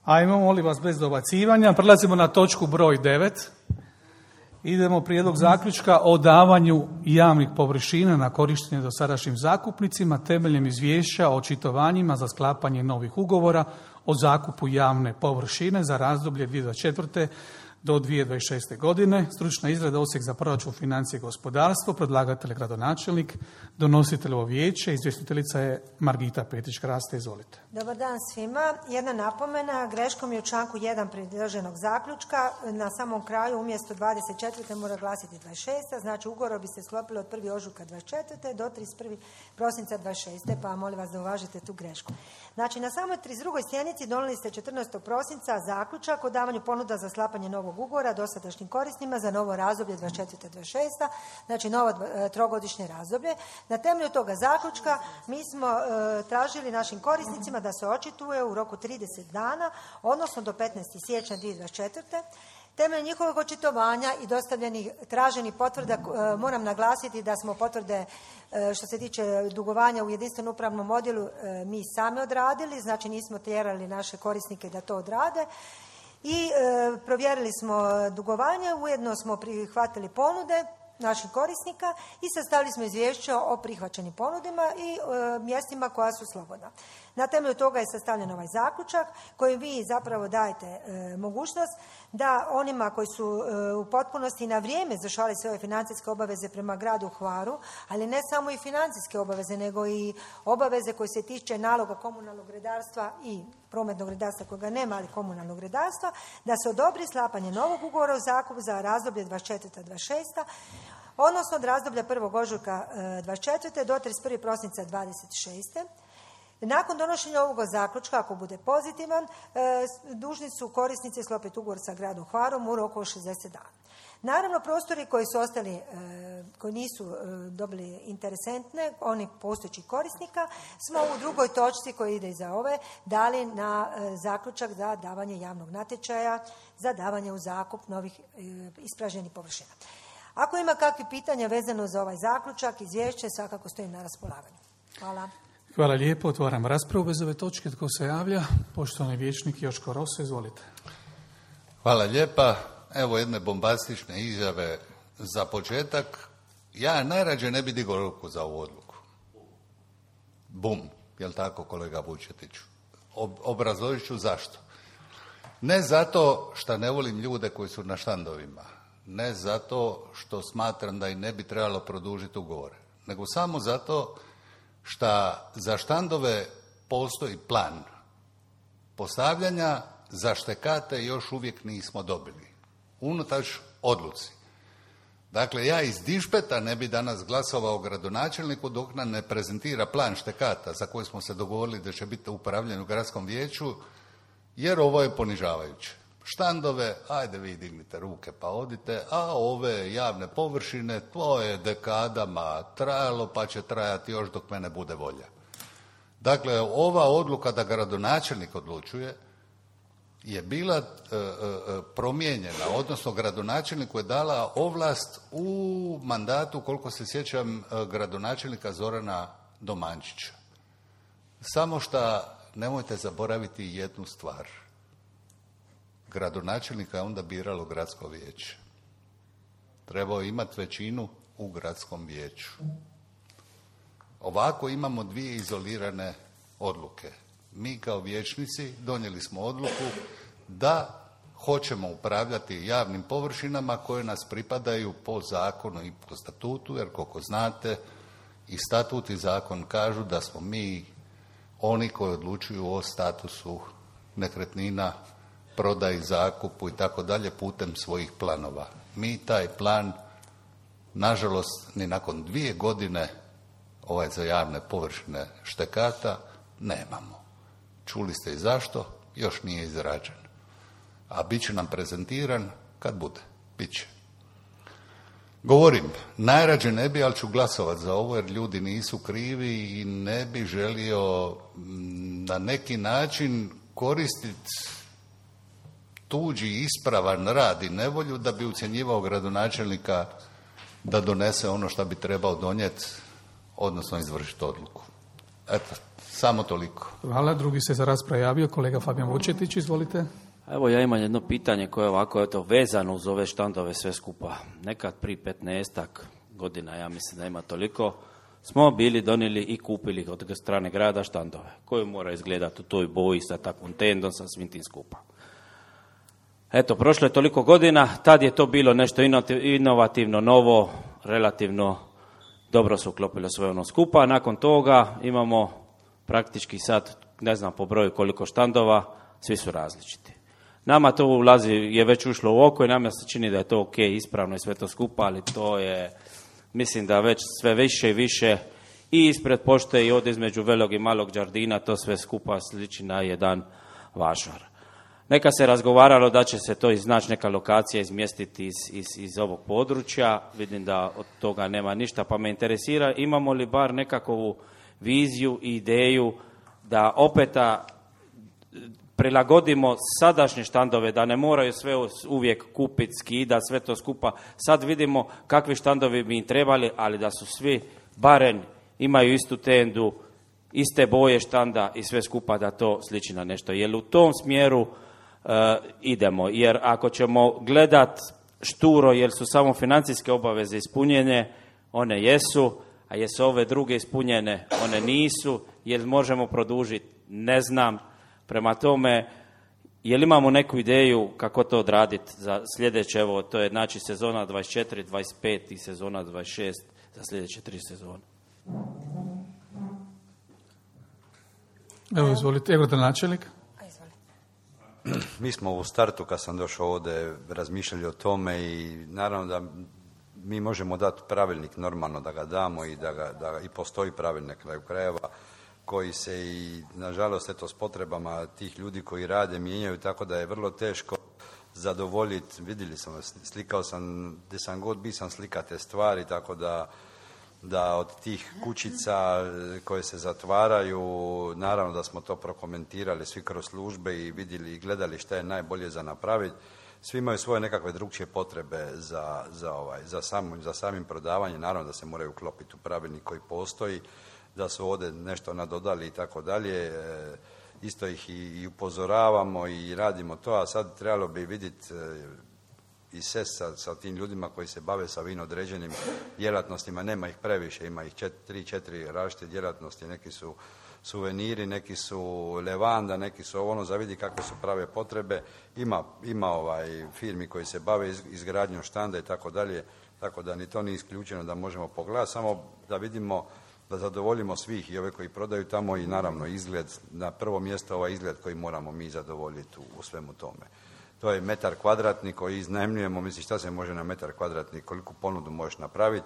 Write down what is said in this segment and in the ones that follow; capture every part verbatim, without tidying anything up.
Ajmo, molim vas, bez dobacivanja. Prelazimo na točku broj devet. Idemo prijedlog zaključka o davanju javnih površina na korištenje dosadašnjim zakupnicima temeljem izvješća o očitovanjima za sklapanje novih ugovora o zakupu javne površine za razdoblje dvije tisuće dvadeset četvrte do dvije tisuće dvadeset šeste. godine. Stručna izrada Odsjek za proračun, financije i gospodarstvo, predlagatelj gradonačelnik, donositeljevo vijeće, izvjestiteljica je Margita Petić-Kraste. Izvolite. Dobar dan svima. Jedna napomena, greškom je u članku jedan predloženog zaključka. Na samom kraju umjesto dvadeset četvrte mora glasiti dvadeset šeste. Znači ugovor bi se sklopilo od prvog ožujka dvadeset četvrte do trideset prvog prosinca dvadeset šeste. Pa molim vas da uvažite tu grešku. Znači na samoj trideset drugoj sjednici donijeli ste četrnaestog prosinca zaključak o davanju ponuda za sklapanje novog ugovora dosadašnjim korisnicima za novo razdoblje dvadeset četvrte do dvadeset šeste. Znači novo trogodišnje razdoblje. Na temelju toga zaključka mi smo e, tražili našim korisnicima da se očituje u roku trideset dana, odnosno do petnaestog siječnja dvije tisuće dvadeset četvrte. Temeljem njihovog očitovanja i dostavljenih traženih potvrda, e, moram naglasiti da smo potvrde e, što se tiče dugovanja u jedinstvenom upravnom odjelu e, mi sami odradili, znači nismo tjerali naše korisnike da to odrade. I e, provjerili smo dugovanje, ujedno smo prihvatili ponude naših korisnika i sastavili smo izvješće o prihvaćenim ponudima i e, mjestima koja su slobodna. Na temelju toga je sastavljen ovaj zaključak koji vi zapravo dajete e, mogućnost da onima koji su e, u potpunosti na vrijeme izvršavali sve ove financijske obaveze prema gradu Hvaru, ali ne samo i financijske obaveze, nego i obaveze koje se tiče naloga komunalnog redarstva i prometnog redarstva kojega nema, ali komunalnog redarstva, da se odobri sklapanje novog ugovora o zakupu za razdoblje dvadeset četvrta do dvadeset šesta. odnosno od razdoblja prvog ožujka dvadeset četvrte do trideset prvog prosinca dvadeset šeste. Nakon donošenja ovog zaključka, ako bude pozitivan, dužni su korisnici sklopiti ugovor sa gradom Hvarom u roku od šezdeset dana. Naravno, prostori koji su ostali, koji nisu dobili interesentne, oni postojećih korisnika, smo u drugoj točci koja ide iza ove dali na zaključak za davanje javnog natječaja, za davanje u zakup novih ispražnjenih površina. Ako ima kakvih pitanja vezano za ovaj zaključak, izvješće, svakako stojim na raspolaganju. Hvala. Hvala lijepo. Otvaram raspravu bez ove točke. Tko se javlja? Poštovani vijećnik Joško Roso, izvolite. Hvala lijepa. Evo jedne bombastične izjave za početak. Ja najrađe ne bi digao ruku za ovu odluku. Bum. Jel tako, kolega Vučetiću? Ob, obrazložit ću zašto. Ne zato što ne volim ljude koji su na štandovima. Ne zato što smatram da i ne bi trebalo produžiti ugovore. Nego samo zato što za štandove postoji plan postavljanja, za štekate još uvijek nismo dobili. Unutač odluci. Dakle, ja iz dišpeta ne bi danas glasovao gradonačelniku dok nam ne prezentira plan štekata za koji smo se dogovorili da će biti upravljen u gradskom vijeću, jer ovo je ponižavajuće. Štandove, ajde vi dignite ruke pa odite, a ove javne površine, to je dekadama trajalo pa će trajati još dok mene bude volja. Dakle, ova odluka da gradonačelnik odlučuje je bila e, e, promijenjena, odnosno gradonačelniku je dala ovlast u mandatu, koliko se sjećam, gradonačelnika Zorana Domančića. Samo što nemojte zaboraviti jednu stvar. Gradonačelnika je onda biralo gradsko vijeće. Trebao imati većinu u gradskom vijeću. Ovako imamo dvije izolirane odluke. Mi kao vijećnici donijeli smo odluku da hoćemo upravljati javnim površinama koje nas pripadaju po zakonu i po statutu, jer koliko znate i statut i zakon kažu da smo mi oni koji odlučuju o statusu nekretnina, prodaji, zakupu i tako dalje putem svojih planova. Mi taj plan, nažalost, ni nakon dvije godine ovaj za javne površine štekata nemamo. Čuli ste i zašto, još nije izrađen. A bit će nam prezentiran kad bude. Biće. Govorim, najrađe ne bi, ali ću glasovati za ovo jer ljudi nisu krivi i ne bi želio na neki način koristiti tuđi ispravan rad i nevolju da bi ucjenjivao gradonačelnika da donese ono što bi trebao donijeti, odnosno izvršiti odluku. Eto, Samo toliko. Hvala. Drugi se za raspravu javio kolega Fabijan Vučetić, izvolite. Evo ja imam jedno pitanje koje je ovako eto, vezano uz ove štandove sve skupa. Nekad prije petnaestak godina, ja mislim da ima toliko, smo bili donijeli i kupili od strane grada štandove koji mora izgledati u toj boji sa takvom tendom, sa svim tim skupa. Eto, prošlo je toliko godina, tad je to bilo nešto inovativno, novo, relativno dobro se uklopilo sve ono skupa. Nakon toga imamo praktički sad, ne znam po broju koliko štandova, svi su različiti. Nama to ulazi, je već ušlo u oko i nama se čini da je to ok, ispravno i sve to skupa, ali to je, mislim da već sve više i više i ispred pošte i od između Velog i Malog Đardina, to sve skupa sliči na jedan vašar. Neka se razgovaralo da će se to iznaći neka lokacija izmjestiti iz, iz, iz ovog područja, vidim da od toga nema ništa, pa me interesira imamo li bar nekakvu viziju i ideju da opeta prilagodimo sadašnje štandove, da ne moraju sve uvijek kupiti, skida, sve to skupa. Sad vidimo kakvi štandovi bi im trebali, ali da su svi barem imaju istu tendu, iste boje štanda i sve skupa da to sliči na nešto. Jer u tom smjeru uh, idemo. Jer ako ćemo gledat šturo, jer su samo financijske obaveze ispunjene, one jesu, a jesu ove druge ispunjene, one nisu, jer možemo produžiti, ne znam. Prema tome, je li imamo neku ideju kako to odraditi za sljedeće, evo, to je znači sezona dvadeset četiri dvadeset pet i sezona dvadeset šest za sljedeće tri sezone. Evo, izvolite, evo načelnik. Mi smo u startu, kad sam došao ovdje, razmišljali o tome i naravno da mi možemo dati pravilnik normalno da ga damo i da, ga, da i postoji pravilnik na kraju krajeva koji se i, nažalost, eto, s potrebama tih ljudi koji rade mijenjaju, tako da je vrlo teško zadovoljiti. Vidjeli sam, slikao sam, gdje sam god bio sam slika te stvari, tako da, da od tih kućica koje se zatvaraju, naravno da smo to prokomentirali svi kroz službe i vidjeli i gledali šta je najbolje za napraviti. Svi imaju svoje nekakve drugčije potrebe za, za, ovaj, za, sam, za samim prodavanjem, naravno da se moraju uklopiti u pravilnik koji postoji, da su ovdje nešto nadodali i tako dalje. Isto ih i, i upozoravamo i radimo to, a sad trebalo bi vidjeti e, i se sa, sa tim ljudima koji se bave sa vino određenim djelatnostima, nema ih previše, ima ih čet, tri, četiri različite djelatnosti, neki su suveniri, neki su levanda, neki su ono, zavidi kakve su prave potrebe. Ima, ima ovaj firmi koji se bave iz, izgradnjom štanda i tako dalje, tako da ni to nije isključeno da možemo pogledati, samo da vidimo da zadovoljimo svih i ove koji prodaju tamo i naravno izgled, na prvo mjesto ovaj izgled koji moramo mi zadovoljiti u, u svemu tome. To je metar kvadratni koji iznajmljujemo, misli šta se može na metar kvadratni, koliku ponudu možeš napraviti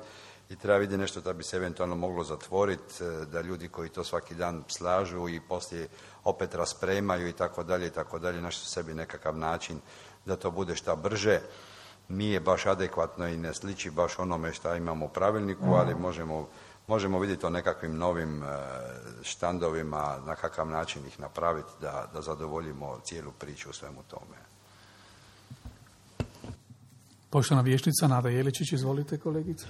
i treba vidjeti nešto da bi se eventualno moglo zatvoriti, da ljudi koji to svaki dan slažu i poslije opet raspremaju i tako dalje i tako dalje, našli sebi nekakav način da to bude šta brže. Nije baš adekvatno i ne sliči baš onome šta imamo u pravilniku, ali možemo Možemo vidjeti o nekakvim novim štandovima, na kakav način ih napraviti da, da zadovoljimo cijelu priču u svemu tome. Poštovana vijećnica Nada Jeličić, izvolite kolegice.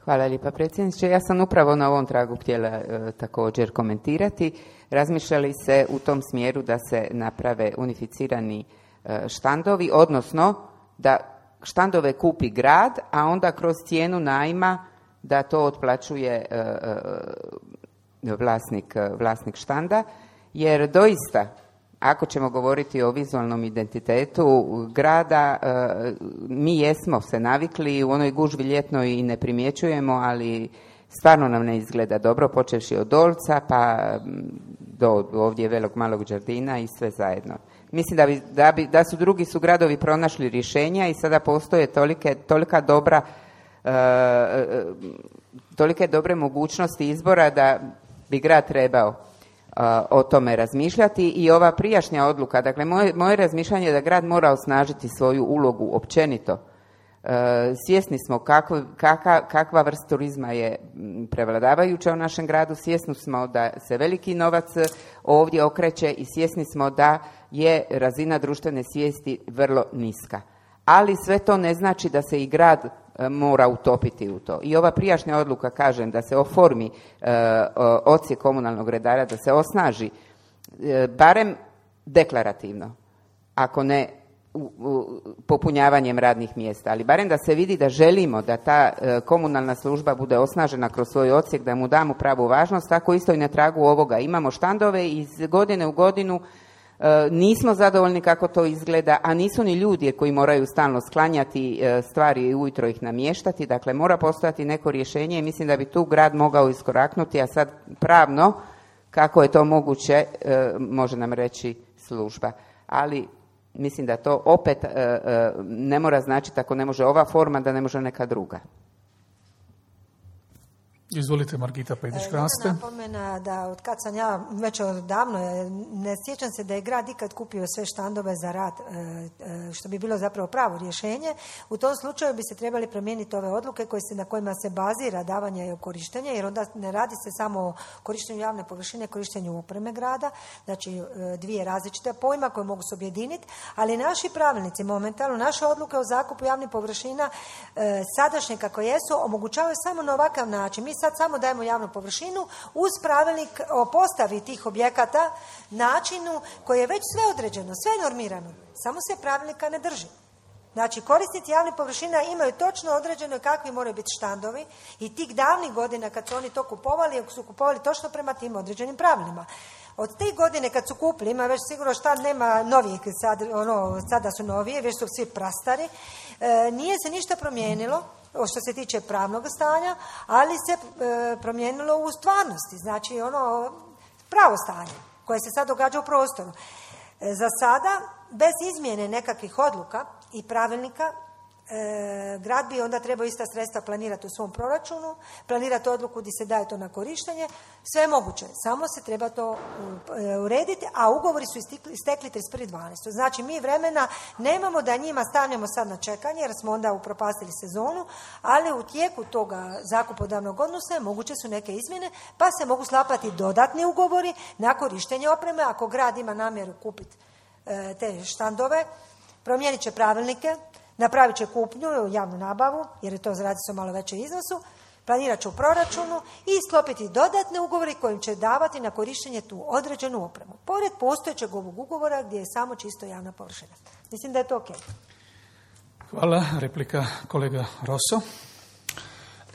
Hvala lijepa predsjedniče. Ja sam upravo na ovom tragu htjela e, također komentirati. Razmišljali se u tom smjeru da se naprave unificirani e, štandovi, odnosno da štandove kupi grad, a onda kroz cijenu najma da to otplaćuje e, e, vlasnik, vlasnik štanda, jer doista, ako ćemo govoriti o vizualnom identitetu grada, e, mi jesmo se navikli u onoj gužvi ljetnoj i ne primjećujemo, ali stvarno nam ne izgleda dobro, počevši od Dolca pa do ovdje Velog Malog Đardina i sve zajedno. Mislim da, bi, da, bi, da su drugi su gradovi pronašli rješenja i sada postoje tolike, tolika dobra E, tolike dobre mogućnosti izbora da bi grad trebao e, o tome razmišljati i ova prijašnja odluka, dakle moje, moje razmišljanje je da grad mora osnažiti svoju ulogu općenito. E, svjesni smo kako, kaka, kakva vrst turizma je prevladavajuća u našem gradu, svjesni smo da se veliki novac ovdje okreće i svjesni smo da je razina društvene svijesti vrlo niska. Ali sve to ne znači da se i grad mora utopiti u to. I ova prijašnja odluka, kažem, da se oformi e, odsjek komunalnog redara, da se osnaži, e, barem deklarativno, ako ne u, u, popunjavanjem radnih mjesta, ali barem da se vidi da želimo da ta e, komunalna služba bude osnažena kroz svoj odsjek, da mu damo pravu važnost, tako isto i na tragu ovoga. Imamo štandove iz godine u godinu, e, nismo zadovoljni kako to izgleda, a nisu ni ljudi koji moraju stalno sklanjati e, stvari i ujutro ih namještati, dakle mora postojati neko rješenje i mislim da bi tu grad mogao iskoraknuti, a sad pravno kako je to moguće e, može nam reći služba. Ali mislim da to opet e, e, ne mora značiti ako ne može ova forma da ne može neka druga. Izvolite, Margita Pejdić-Kraste. Jedna napomena da od kad sam ja već odavno, ne sjećam se da je grad ikad kupio sve štandove za rad, što bi bilo zapravo pravo rješenje. U tom slučaju bi se trebali promijeniti ove odluke koje se, na kojima se bazira davanje i korištenje, jer onda ne radi se samo o korištenju javne površine, korištenju opreme grada, znači dvije različite pojma koje mogu se objediniti, ali naši pravilnici momentalno, naše odluke o zakupu javnih površina sadašnje kako jesu, omogućavaju samo na ovakav način. Mi sad samo dajemo javnu površinu uz pravilnik o postavi tih objekata, načinu koji je već sve određeno, sve normirano, samo se pravilnika ne drži. Znači, korisnici javnih površina imaju točno određeno kakvi moraju biti štandovi i tih davnih godina kad su oni to kupovali, su kupovali točno prema tim određenim pravilima. Od te godine kad su kupili, ima već sigurno štand, nema novih, sad, ono, sada su novije, već su svi prastari, e, nije se ništa promijenilo što se tiče pravnog stanja, ali se e, promijenilo u stvarnosti, znači ono pravo stanje koje se sad događa u prostoru. E, za sada, bez izmjene nekakvih odluka i pravilnika, E, grad bi onda trebao ista sredstva planirati u svom proračunu, planirati odluku gdje se daje to na korištenje, sve je moguće, samo se treba to urediti, a ugovori su istekli trideset prvi dvanaesti. Znači mi vremena nemamo da njima stavljamo sad na čekanje jer smo onda upropastili sezonu, ali u tijeku toga zakupodavnog odnosa moguće su neke izmjene, pa se mogu sklapati dodatni ugovori na korištenje opreme ako grad ima namjeru kupiti e, te štandove, promijenit će pravilnike, napravit će kupnju, javnu nabavu, jer je to radi se o malo većem iznosu, planirat će u proračunu i sklopiti dodatne ugovore kojim će davati na korištenje tu određenu opremu. Pored postojećeg ovog ugovora gdje je samo čisto javna površina. Mislim da je to ok. Hvala. Replika kolega Rosso.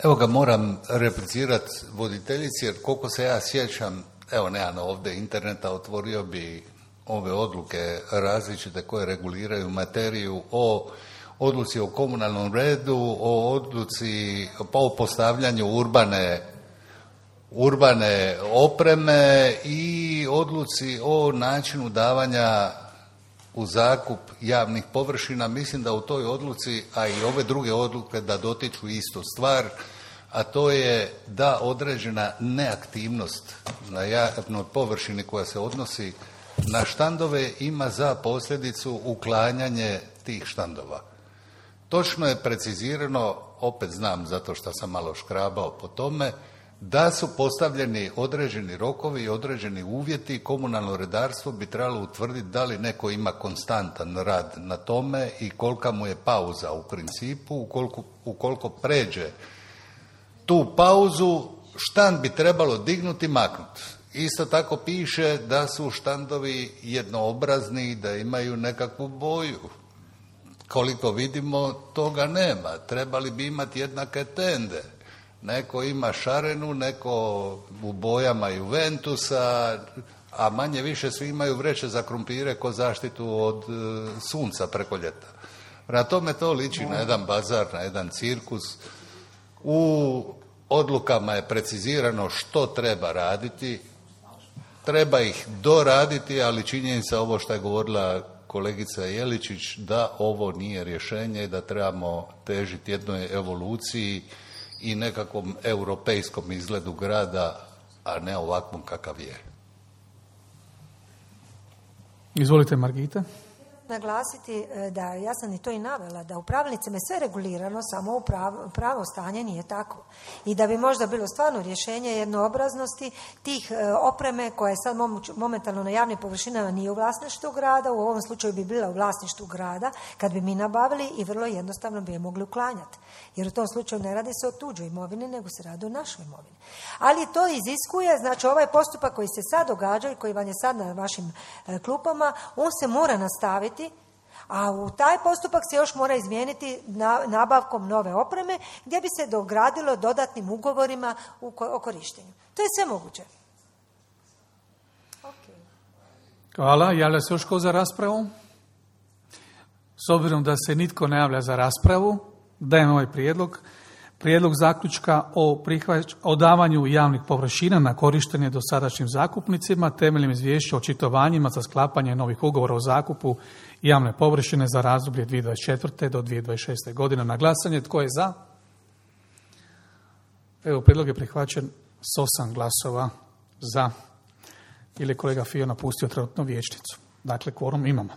Evo ga, moram replicirati voditeljici, jer koliko se ja sjećam, evo nemam ovdje interneta, otvorio bi ove odluke različite koje reguliraju materiju o odluci o komunalnom redu, o odluci o postavljanju urbane, urbane opreme i odluci o načinu davanja u zakup javnih površina. Mislim da u toj odluci, a i ove druge odluke da dotiču istu stvar, a to je da određena neaktivnost na javnoj površini koja se odnosi na štandove ima za posljedicu uklanjanje tih štandova. Točno je precizirano, opet znam zato što sam malo škrabao po tome, da su postavljeni određeni rokovi i određeni uvjeti. Komunalno redarstvo bi trebalo utvrditi da li neko ima konstantan rad na tome i kolika mu je pauza u principu. Ukoliko, ukoliko pređe tu pauzu, štand bi trebalo dignuti i maknuti. Isto tako piše da su štandovi jednoobrazni, da imaju nekakvu boju. Koliko vidimo, toga nema. Trebali bi imati jednake tende. Neko ima šarenu, neko u bojama Juventusa, a manje više svi imaju vreće za krumpire ko zaštitu od e, sunca preko ljeta. Prema tome to liči na jedan bazar, na jedan cirkus. U odlukama je precizirano što treba raditi, treba ih doraditi, ali činjenica ovo što je govorila kolegica Jeličić, da ovo nije rješenje i da trebamo težiti jednoj evoluciji i nekakvom europejskom izgledu grada, a ne ovakvom kakav je. Izvolite, Margita. naglasiti da, ja sam i to i navela, da u pravilnicima je sve regulirano, samo u pravo, pravo stanje nije tako. I da bi možda bilo stvarno rješenje jednoobraznosti tih opreme koja je sad momentalno na javnim površinama nije u vlasništvu grada, u ovom slučaju bi bila u vlasništvu grada, kad bi mi nabavili i vrlo jednostavno bi je mogli uklanjati. Jer u tom slučaju ne radi se o tuđoj imovini, nego se radi o našoj imovini. Ali to iziskuje, znači ovaj postupak koji se sad događa i koji vam je sad na vašim klupama, on se mora nastaviti, a u taj postupak se još mora izmijeniti nabavkom nove opreme, gdje bi se dogradilo dodatnim ugovorima o korištenju. To je sve moguće. Okay. Hvala. Javlja se još ko za raspravu? S obzirom da se nitko ne javlja za raspravu, dajem ovaj prijedlog. Prijedlog zaključka o, prihvać, o davanju javnih površina na korištenje dosadašnjim zakupnicima temeljem izvješća o očitovanjima za sklapanje novih ugovora o zakupu javne površine za razdoblje dvije tisuće dvadeset četvrte do dvije tisuće dvadeset šeste godine. Na glasanje, tko je za? Evo, prijedlog je prihvaćen s osam glasova za. Ili je kolega Fio napustio trenutno vijećnicu. Dakle, kvorum imamo.